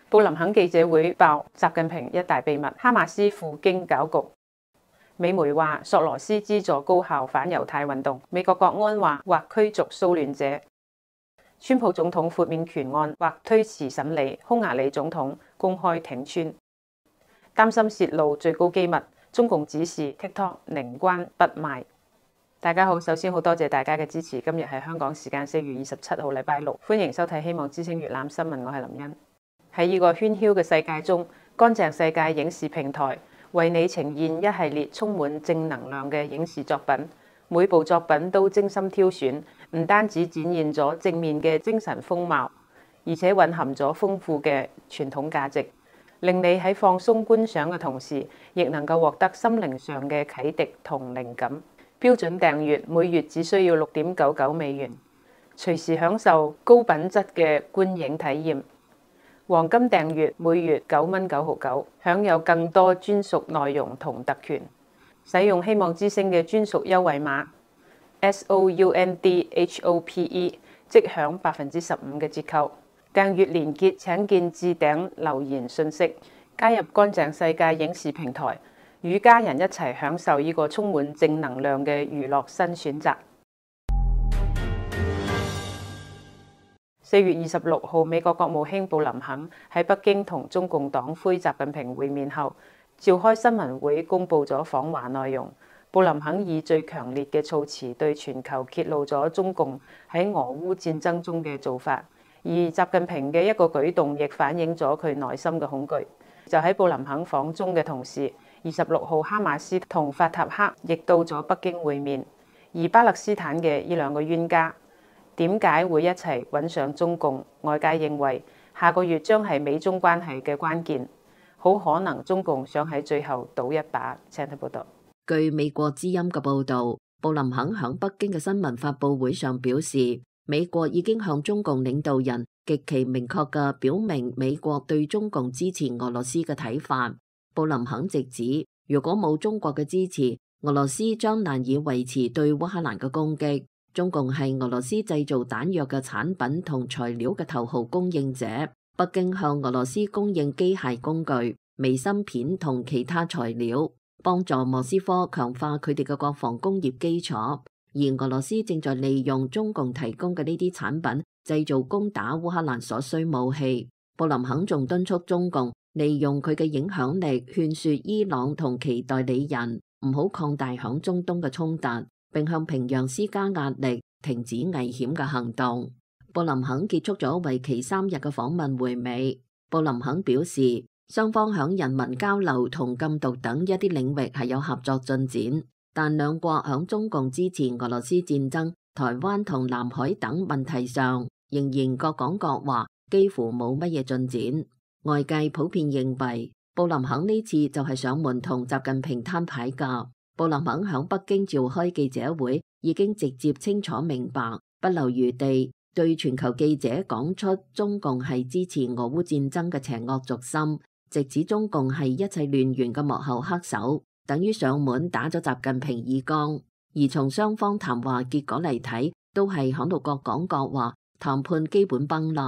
布林肯記者會爆習近平一大秘密，哈馬斯赴京攪局。美媒話索羅斯資助高校反猶太運動。美國國安話或驅逐騷亂者。川普總統豁免權案或推遲審理。匈牙利總統公開挺川。擔心泄露最高機密，中共指示 TikTok 寧關不賣。大家好，首先好多謝大家嘅支持。今日係香港時間4月27號禮拜六，歡迎收睇希望之聲粵覽新聞，我係林茵。喺呢個喧囂嘅世界中，乾淨世界影視平台為你呈現一系列充滿正能量嘅影視作品，每部作品都精心挑選，唔單止展現咗正面嘅精神風貌，而且蘊含咗豐富嘅傳統價值，令你喺放鬆觀賞嘅同時，亦能夠獲得心靈上嘅啟迪同靈感。標準訂閱每月只需要$6.99，隨時享受高品質嘅觀影體驗。黃金訂閱每月9.99，享有更多專屬內容同特權。使用希望之聲嘅專屬優惠碼 SOUNDHOPE， 即享15%嘅折扣。訂閱連結請見置頂留言信息。加入乾淨世界影視平台，與家人一齊享受呢個充滿正能量嘅娛樂新選擇。4月26號，美國國務卿布林肯喺北京同中共黨魁習近平會面後，召開新聞會公佈咗訪華內容。布林肯以最強烈嘅措辭對全球揭露咗中共喺俄烏戰爭中嘅做法，而習近平嘅一個舉動亦反映咗佢內心嘅恐懼。就喺布林肯訪中嘅同時，26號哈馬斯同法塔赫亦到咗北京會面，而巴勒斯坦嘅呢兩個冤家點解會一齊揾上中共？外界認為下個月將係美中關係嘅關鍵，好可能中共想喺最後賭一把。請睇報道。據美國之音嘅報導，布林肯喺北京嘅新聞發佈會上表示，美國已經向中共領導人極其明確嘅表明美國對中共支持俄羅斯嘅睇法。布林肯直指，如果冇中國嘅支持，俄羅斯將難以維持對烏克蘭嘅攻擊。中共係俄羅斯製造彈藥嘅產品同材料嘅頭號供應者，北京向俄羅斯供應機械工具、微芯片同其他材料，幫助莫斯科強化佢哋嘅國防工業基礎。而俄羅斯正在利用中共提供嘅呢啲產品，製造攻打烏克蘭所需武器。布林肯仲敦促中共利用佢嘅影響力，勸說伊朗同其代理人唔好擴大響中東嘅衝突，並向平壤施加壓力，停止危險嘅行動。布林肯結束咗為期3日嘅訪問回美。布林肯表示，雙方響人民交流同禁毒等一啲領域係有合作進展，但兩國響中共支持俄羅斯戰爭、台灣同南海等問題上，仍然各講各話，幾乎冇乜嘢進展。外界普遍認為，布林肯呢次就係上門同習近平攤牌㗎。布林肯響北京召開記者會，已經直接清楚明白，不留餘地對全球記者講出中共係支持俄烏戰爭嘅邪惡軸心，直指中共係一切亂源嘅幕後黑手，等於上門打咗習近平耳光。而從雙方談話結果嚟睇，都係響度各講各話，談判基本崩立。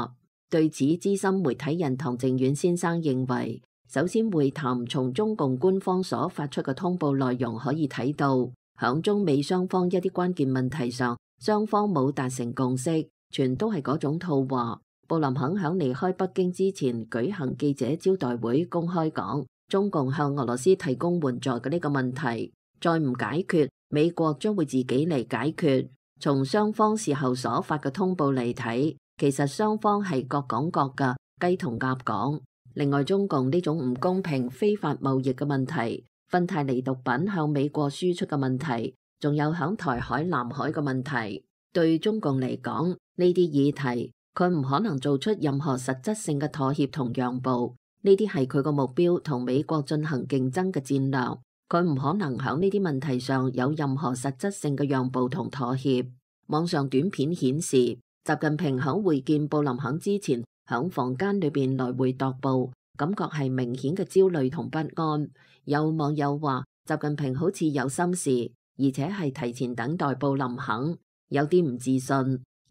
對此，資深媒體人唐靖遠先生認為，首先會談從中共官方所發出嘅通報內容可以睇到，響中美雙方一啲關鍵問題上，雙方冇達成共識，全都係嗰種套話。布林肯響離開北京之前舉行記者招待會，公開講中共向俄羅斯提供援助嘅呢個問題，再唔解決，美國將會自己嚟解決。從雙方事後所發嘅通報嚟睇，其實雙方係各講各嘅，雞同鴨講。另外，中共呢種唔公平非法貿易嘅問題，芬太尼毒品向美國輸出嘅問題，仲有響台海、南海嘅問題，對中共嚟講，呢啲議題佢唔可能做出任何實質性嘅妥協同讓步。呢啲係佢個目標同美國進行競爭嘅戰略，佢唔可能響呢啲問題上有任何實質性嘅讓步同妥協。網上短片顯示，習近平響會見布林肯之前，響房間裏邊來回踱步，感覺係明顯嘅焦慮同不安。有網友話，習近平好似有心事，而且係提前等待布林肯，有啲唔自信，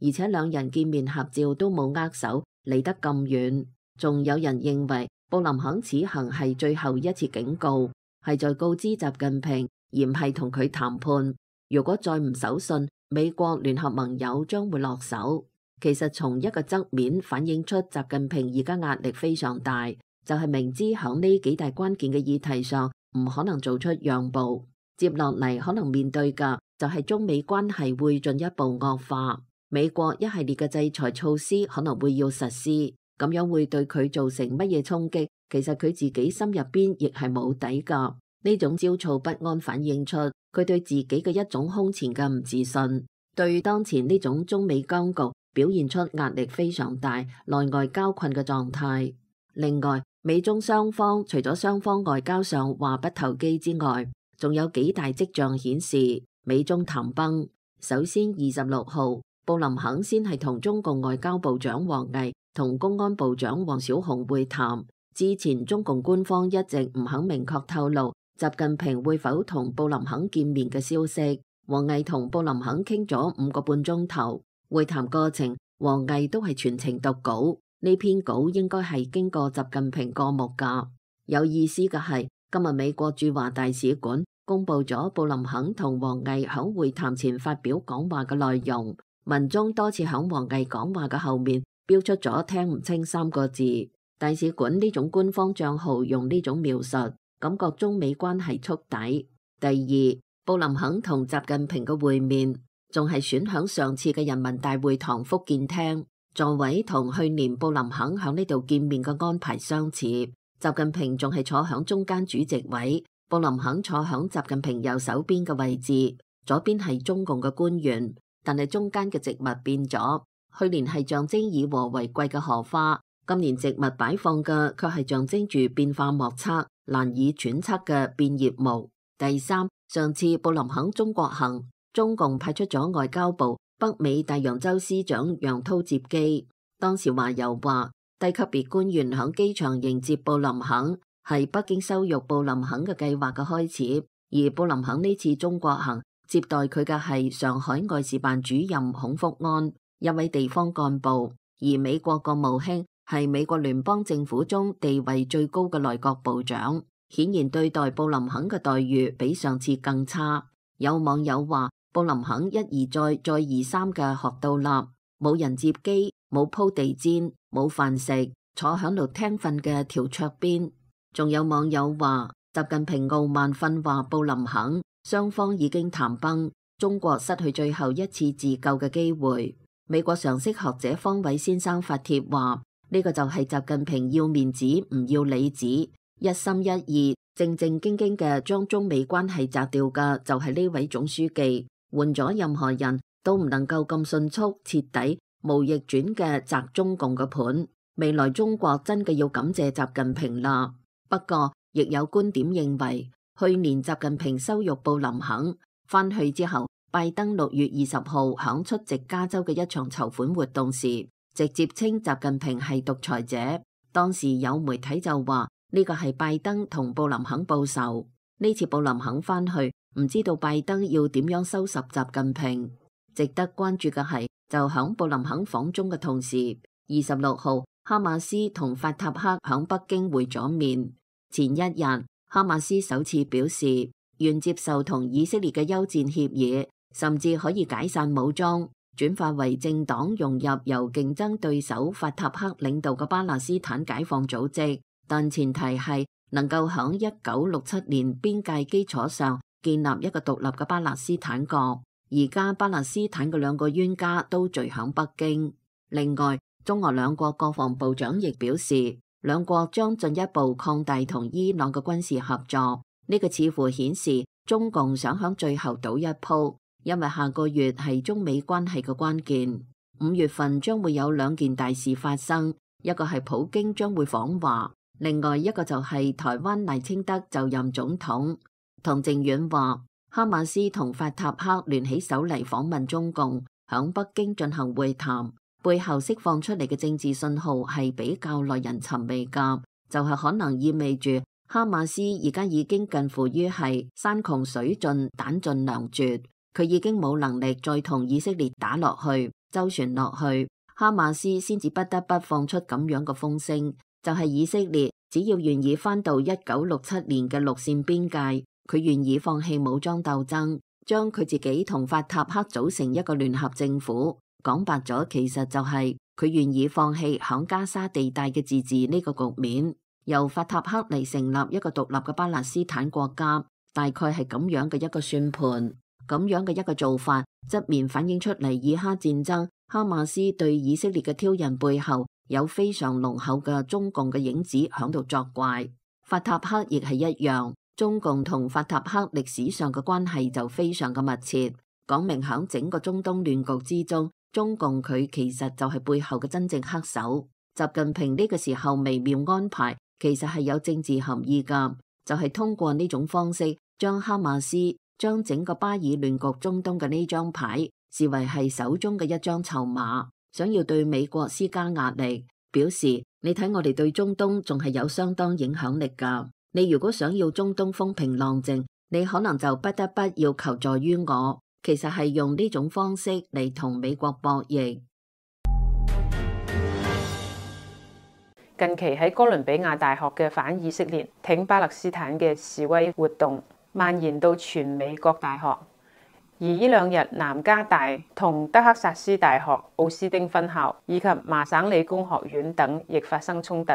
而且兩人見面合照都冇握手，離得咁遠。仲有人認為布林肯此行係最後一次警告，係在告知習近平，而唔係同佢談判。如果再唔守信，美國聯合盟友將會落手。其實從一個側面反映出習近平而家壓力非常大，就係明知響呢幾大關鍵嘅議題上唔可能做出讓步，接落嚟可能面對嘅就係中美關係會進一步惡化。美國一系列嘅制裁措施可能會要實施，咁樣會對佢造成乜嘢衝擊？其實佢自己心入邊亦係冇底噶。呢種焦躁不安反映出佢對自己嘅一種空前嘅唔自信，對當前呢種中美僵局表現出壓力非常大、內外交困嘅狀態。另外，美中雙方除咗雙方外交上話不投機之外，仲有幾大跡象顯示美中談崩。首先，26號，布林肯先係同中共外交部長王毅同公安部長王小洪會談。之前中共官方一直唔肯明確透露習近平會否同布林肯見面嘅消息。王毅同布林肯傾咗5個半鐘頭。會談過程，王毅都係全程讀稿，呢篇稿應該係經過習近平過目噶。有意思嘅係，今日美國駐華大使館公布咗布林肯同王毅響會談前發表講話嘅內容，文中多次響王毅講話嘅後面標出咗聽唔清3個字。大使館呢種官方賬號用呢種描述，感覺中美關係觸底。第二，布林肯同習近平嘅會面仲係選響上次嘅人民大會堂福建廳，座位同去年布林肯響呢度見面嘅安排相似。習近平仲係坐響中間主席位，布林肯坐響習近平右手邊嘅位置，左邊係中共嘅官員，但係中間嘅植物變咗。去年係象徵以和為貴嘅荷花，今年植物擺放嘅卻係象徵住變化莫測、難以揣測嘅變葉木。第三，上次布林肯中國行，中共派出咗外交部北美大洋洲司長楊濤接機。當時華郵話，低級別官員響機場迎接布林肯，係北京羞辱布林肯嘅計劃嘅開始。而布林肯呢次中國行接待佢嘅係上海外事辦主任孔福安，一位地方幹部。而美國國務卿係美國聯邦政府中地位最高嘅內閣部長，顯然對待布林肯嘅待遇比上次更差。有網友話，布林肯一而再、再而三嘅學到啦，冇人接機，冇鋪地氈，冇飯食，坐響度聽瞓嘅條桌邊。仲有網友話，習近平傲慢訓話布林肯，雙方已經談崩，中國失去最後一次自救嘅機會。美國常識學者方偉先生發帖話，呢個就係習近平要面子唔要裏子，一心一意正正經經嘅將中美關係摘掉嘅就係呢位總書記，換咗任何人都唔能夠咁迅速徹底無逆轉嘅摘中共嘅盤。未來中國真嘅要感謝習近平啦。不過亦有觀點認為，去年習近平羞辱布林肯，翻去之後，拜登6月20號響出席加州嘅一場籌款活動時，直接稱習近平係獨裁者。當時有媒體就話呢個係拜登同布林肯報仇。呢次布林肯翻去，唔知道拜登要點樣收拾習近平。值得關注嘅係，就響布林肯訪中嘅同時，26號哈馬斯同法塔赫響北京會咗面。前一日，哈馬斯首次表示願接受同以色列嘅休戰協議，甚至可以解散武裝，轉化為政黨，融入由競爭對手法塔赫領導嘅巴勒斯坦解放組織，但前提係能夠響1967年邊界基礎上建立一個獨立嘅巴勒斯坦國。而家巴勒斯坦嘅2個冤家都聚響北京。另外，中俄兩國國防部長亦表示，兩國將進一步擴大同伊朗嘅軍事合作。呢個似乎顯示中共想響最後賭一鋪，因為下個月係中美關係嘅關鍵。5月份將會有2件大事發生，一個係普京將會訪華，另外一個就係台灣賴清德就任總統。唐靖遠話，哈馬斯同法塔赫聯起手嚟訪問中共，響北京進行會談，背後釋放出嚟嘅政治信號係比較耐人尋味㗎，就係可能意味住哈馬斯而家已經近乎於係山窮水盡、彈盡糧絕，佢已經冇能力再同以色列打落去、周旋落去，哈馬斯先至不得不放出咁樣嘅風聲，就係以色列只要願意返到1967年嘅六線邊界，佢願意放棄武裝鬥爭，將佢自己同法塔赫組成一個聯合政府。講白咗，其實就係佢願意放棄響加沙地帶嘅自治呢個局面，由法塔赫嚟成立一個獨立嘅巴勒斯坦國家，大概係咁樣嘅一個算盤。咁樣嘅一個做法，側面反映出嚟以哈戰爭，哈馬斯對以色列嘅挑釁背後有非常濃厚嘅中共嘅影子響度作怪。法塔赫亦係一樣，中共同法塔赫歷史上嘅關係就非常嘅密切，講明響整個中東亂局之中，中共佢其實就係背後嘅真正黑手。習近平呢個時候微妙安排，其實係有政治含義噶，就係通過呢種方式將哈馬斯，將整個巴以亂局中東嘅呢張牌視為係手中嘅一張籌碼，想要對美國施加壓力，表示你睇我哋對中東仲係有相當影響力噶。你如果想要中東風平浪靜，你可能就不得不要求助於我。其實係用呢種方式嚟同美國博弈。近期喺哥倫比亞大學嘅反以色列、挺巴勒斯坦嘅示威活動蔓延到全美各大學，而呢兩日南加大同德克薩斯大學奧斯丁分校以及麻省理工學院等亦發生衝突，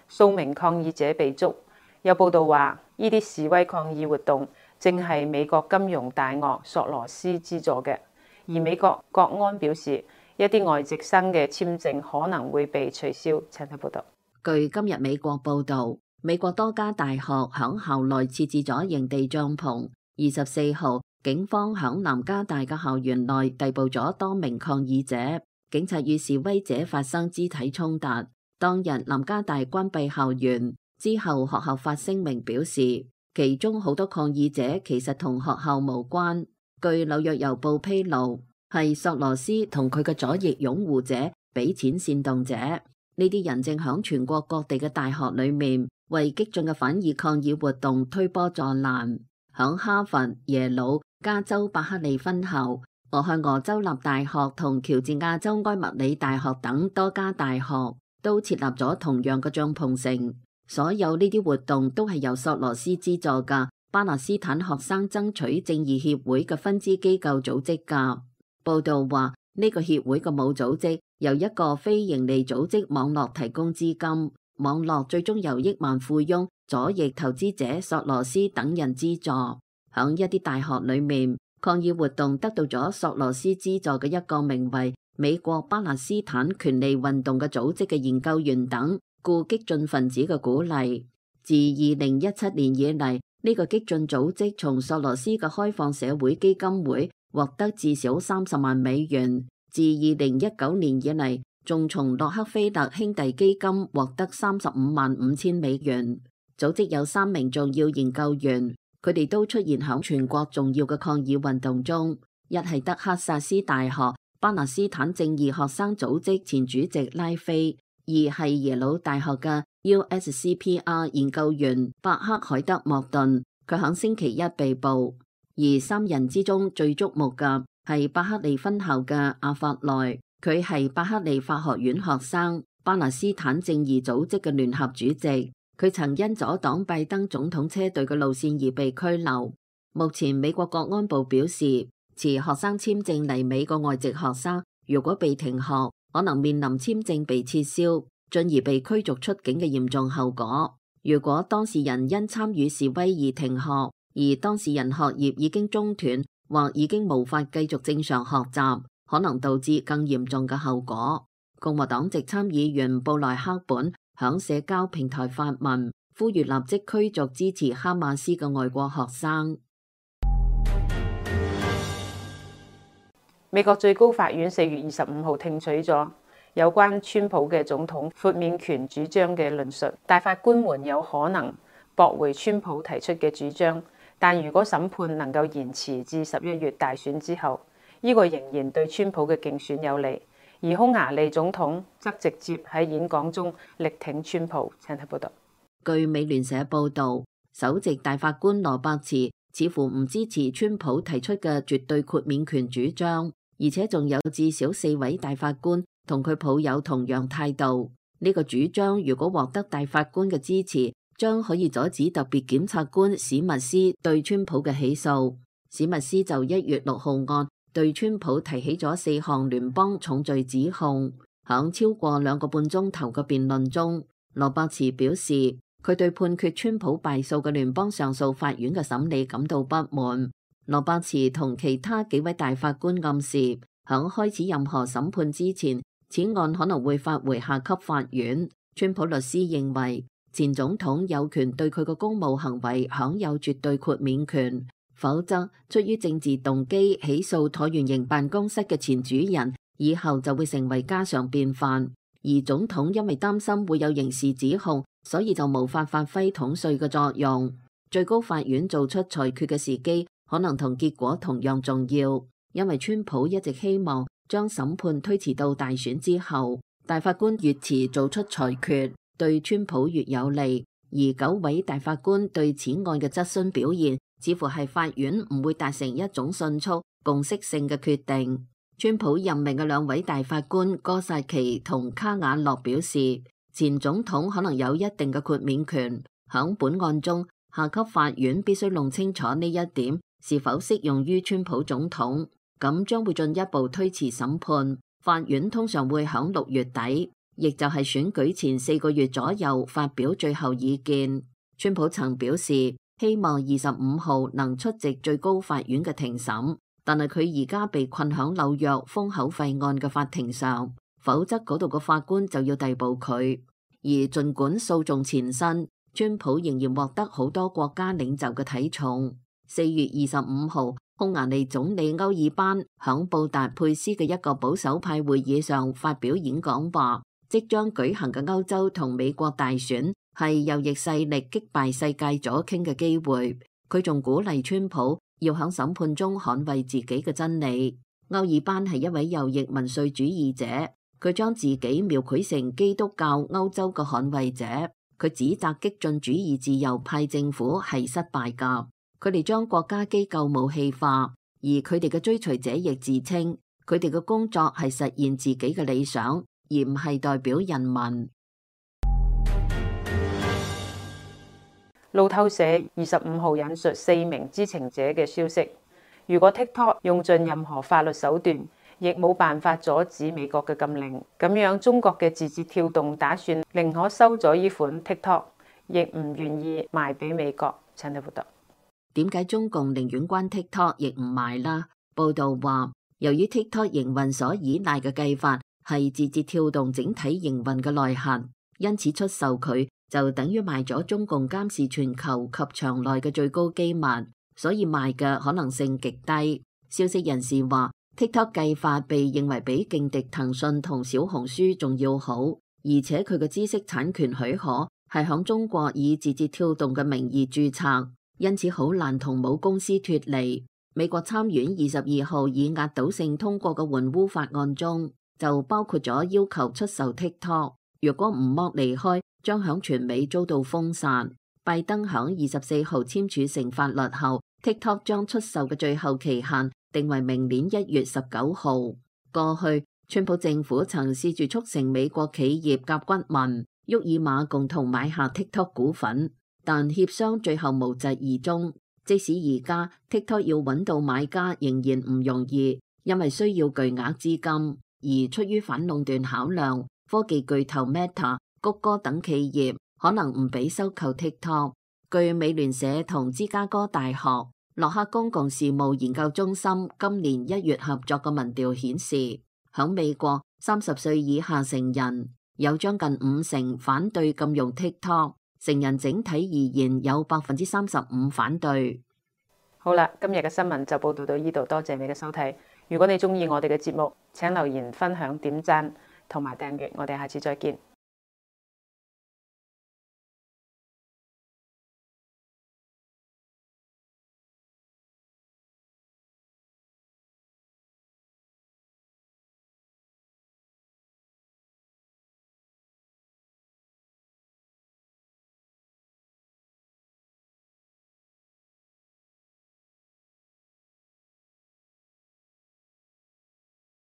數名抗議者被捉。有報道話，呢啲示威抗議活動正係美國金融大鱷索羅斯資助嘅，而美國國安表示，一啲外籍生嘅簽證可能會被取消。請睇報道。據今日美國報道，美國多家大學響校內設置咗營地帳篷。24號，警方響南加大嘅校園內逮捕咗多名抗議者，警察與示威者發生肢體衝突。當日南加大關閉校園之後，學校發聲明表示，其中好多抗議者其實同學校無關。據紐約郵報披露，係索羅斯同佢嘅左翼擁護者俾錢煽動者。呢啲人正響全國各地嘅大學裏面為激進嘅反義抗議活動推波助瀾。響哈佛、耶魯、加州伯克利分校、俄亥俄州立大學同喬治亞州埃默里大學等多家大學都設立咗同樣嘅帳篷城。所有呢啲活動都係由索羅斯資助嘅巴勒斯坦學生爭取正義協會嘅分支機構組織㗎。報道話，呢個協會嘅母組織由一個非營利組織網絡提供資金，網絡最終由億萬富翁、左翼投資者索羅斯等人資助。響一啲大學裏面，抗議活動得到咗索羅斯資助嘅一個名為美國巴勒斯坦權利運動嘅組織嘅研究員等故激進分子嘅鼓勵。自2017年以嚟，呢個激進組織從索羅斯嘅開放社會基金會獲得至少30萬美元。自2019年以嚟，仲從洛克菲勒兄弟基金獲得35萬5千美元。組織有3名重要研究員，佢哋都出現響全國重要嘅抗議運動中。一係德克薩斯大學巴勒斯坦正義學生組織前主席拉菲，二係耶魯大學嘅 USCPR 研究員伯克海德莫頓，佢響星期一被捕。而3人之中最矚目嘅係伯克利分校嘅阿法內，佢係伯克利法學院學生，巴勒斯坦正義組織嘅聯合主席。佢曾因阻擋拜登總統車隊嘅路線而被拘留。目前美國國安部表示，持學生簽證嚟美國外籍學生如果被停學，可能面臨簽證被撤銷，進而被驅逐出境嘅嚴重後果。如果當事人因參與示威而停學，而當事人學業已經中斷或已經無法繼續正常學習，可能導致更嚴重嘅後果。共和黨籍參議員布萊克本響社交平台發文，呼籲立即驅逐支持哈馬斯嘅外國學生。美國最高法院4月25號聽取咗有關川普嘅總統豁免權主張嘅論述，大法官們有可能駁回川普提出嘅主張，但如果審判能夠延遲至11月大選之後，呢個仍然對川普嘅競選有利。而匈牙利總統則直接喺演講中力挺川普。請睇報道。據美聯社報道，首席大法官羅伯茨似乎唔支持川普提出嘅絕對豁免權主張，而且仲有至少4位大法官同佢抱有同樣態度。呢個主張如果獲得大法官嘅支持，將可以阻止特別檢察官史密斯對川普嘅起訴。史密斯就1月6號案對川普提起咗4項聯邦重罪指控。響超過2個半鐘頭嘅辯論中，羅伯茨表示佢對判決川普敗訴嘅聯邦上訴法院嘅審理感到不滿。羅伯茨同其他幾位大法官暗示，響開始任何審判之前，此案可能會發回下級法院。川普律師認為，前總統有權對佢嘅公務行為享有絕對豁免權，否則出於政治動機起訴橢圓形辦公室嘅前主人，以後就會成為家常便飯。而總統因為擔心會有刑事指控，所以就無法發揮統帥嘅作用。最高法院做出裁決嘅時機可能同結果同樣重要，因為川普一直希望將審判推遲到大選之後，大法官越遲做出裁決，對川普越有利。而9位大法官對此案嘅質詢表現，似乎係法院唔會達成一種迅速共識性嘅決定。川普任命嘅2位大法官哥薩奇同卡瓦諾表示，前總統可能有一定嘅豁免權。響本案中，下級法院必須弄清楚呢一點是否適用於川普總統，咁將會進一步推遲審判。法院通常會響6月底，亦就係選舉前4個月左右發表最後意見。川普曾表示希望25號能出席最高法院嘅庭審，但係佢而家被困響紐約封口費案嘅法庭上，否則嗰度嘅法官就要逮捕佢。而儘管訴訟纏身，川普仍然獲得好多國家領袖嘅睇重。4月25號，匈牙利總理歐爾班響布達佩斯嘅一個保守派會議上發表演講話，即將舉行嘅歐洲同美國大選係右翼勢力擊敗世界左傾嘅機會。佢仲鼓勵川普要響審判中捍衛自己嘅真理。歐爾班係一位右翼民粹主義者，佢將自己描繪成基督教歐洲嘅捍衛者。佢指責激進主義自由派政府係失敗㗎，佢哋將國家機構武器化，而佢哋嘅追隨者亦自稱佢哋嘅工作係實現自己嘅理想，而唔係代表人民。路透社25號引述4名知情者嘅消息，如果 TikTok 用盡任何法律手段，亦冇辦法阻止美國嘅禁令，咁樣中國嘅字節跳動打算寧可收咗呢款 TikTok， 亦唔願意賣俾美國。陳立報道。點解中共寧願關 TikTok 亦唔賣啦？報道話，由於 TikTok 營運所依賴嘅計法係字節跳動整體營運嘅內核，因此出售佢就等於賣咗中共監視全球及場內嘅最高機密，所以賣嘅可能性極低。消息人士話，TikTok 計法被認為比勁敵騰訊同小紅書仲要好，而且佢嘅知識產權許可係響中國以字節跳動嘅名義註冊，因此好難同母公司脫離。美國參院22號以壓倒性通過嘅援烏法案中，就包括咗要求出售 TikTok， 如果唔剝離開，將響全美遭到封殺。拜登響24號簽署成法律後，TikTok 將出售嘅最後期限定為明年1月19號。過去，川普政府曾試住促成美國企業甲骨文、沃爾瑪共同買下 TikTok 股份，但協商最後無疾而終。即使而家 TikTok 要揾到買家仍然唔容易，因為需要巨額資金。而出於反壟斷考量，科技巨頭 Meta、谷歌等企業可能唔俾收購 TikTok。據美聯社同芝加哥大學洛克公共事務研究中心今年1月合作嘅民調顯示，響美國30歲以下成人有將近50%反對禁用 TikTok， 成人整體而言有35%反對。好啦，今日嘅新聞就報道到呢度，多謝你嘅收睇。如果你中意我哋嘅節目，請留言、分享、點讚同埋訂閱，我哋下次再見。